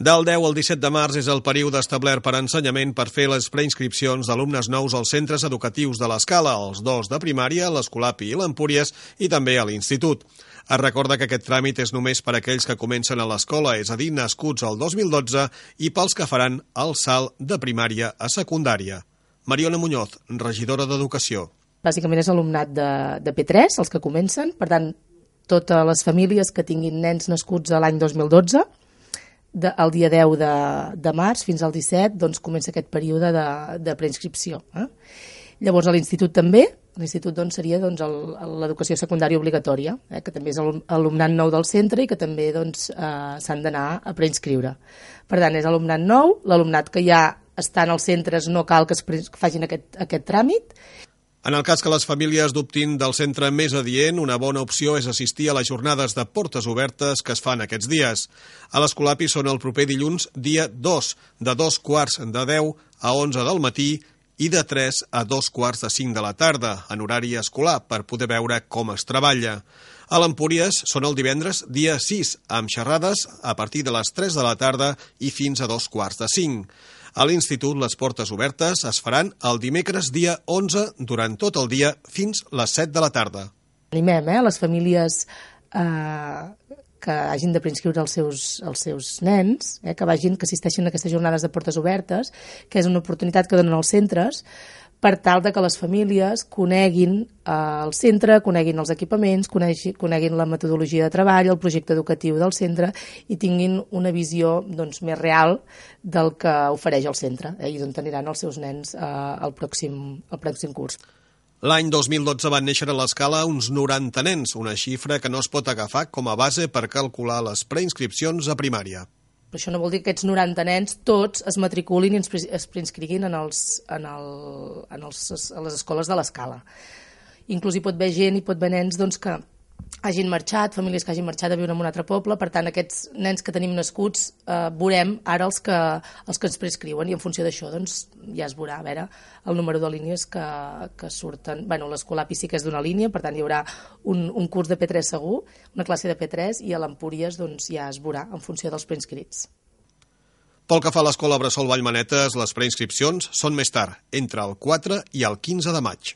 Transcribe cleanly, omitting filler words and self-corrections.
Del 10 al 17 de març és el període establert per Ensenyament per fer les preinscripcions d'alumnes nous als centres educatius de l'Escala, els dos de primària, l'Escolapi i l'Empúries, i també a l'Institut. Es recorda que aquest tràmit és només per a aquells que comencen a l'escola, és a dir, nascuts al 2012, i pels que faran el salt de primària a secundària. Mariona Muñoz, regidora d'Educació. Bàsicament és alumnat de P3, els que comencen, per tant, totes les famílies que tinguin nens nascuts a l'any 2012, el dia 10 de març fins al 17 doncs, comença aquest període de preinscripció. Llavors a l'institut també, l'institut doncs, seria l'educació secundària obligatòria, que també és alumnat nou del centre i que també doncs, s'han d'anar a preinscriure. Per tant, és alumnat nou, l'alumnat que ja està en els centres no cal que facin aquest tràmit. En el cas que les famílies dubtin del centre més adient, una bona opció és assistir a les jornades de portes obertes que es fan aquests dies. A l'Escolapi són el proper dilluns, dia 2, de 2:45 a 11 del matí i de 3 a 2:45 de la tarda, en horari escolar, per poder veure com es treballa. A l'Empúries són el divendres, dia 6, amb xerrades a partir de les 3 de la tarda i fins a 2:45. A l'Institut les portes obertes es faran el dimecres dia 11 durant tot el dia fins les 7 de la tarda. Animem les famílies que hagin de preinscriure els seus nens, que assisteixin a aquestes jornades de portes obertes, que és una oportunitat que donen els centres per tal de que les famílies coneguin el centre, coneguin els equipaments, coneguin la metodologia de treball, el projecte educatiu del centre i tinguin una visió més real del que ofereix el centre i d'on aniran els seus nens al pròxim curs. L'any 2012 van néixer a l'Escala uns 90 nens, una xifra que no es pot agafar com a base per calcular les preinscripcions a primària. Però això no vol dir que aquests 90 nens tots es matriculin i es preinscriguin a les escoles de l'Escala. Inclús hi pot haver gent, hi pot haver nens que hagin marxat, famílies que hagin marxat a viure en un altre poble, per tant aquests nens que tenim nascuts veurem ara els que ens preinscriuen i en funció d'això ja es veurà, a veure, el número de línies que surten. L'Escolapi sí que és d'una línia, per tant hi haurà un curs de P3 segur, una classe de P3 i a l'Empúries ja es veurà en funció dels preinscrits. Pel que fa a l'Escola Bressol Vallmanetes, les preinscripcions són més tard, entre el 4 i el 15 de maig.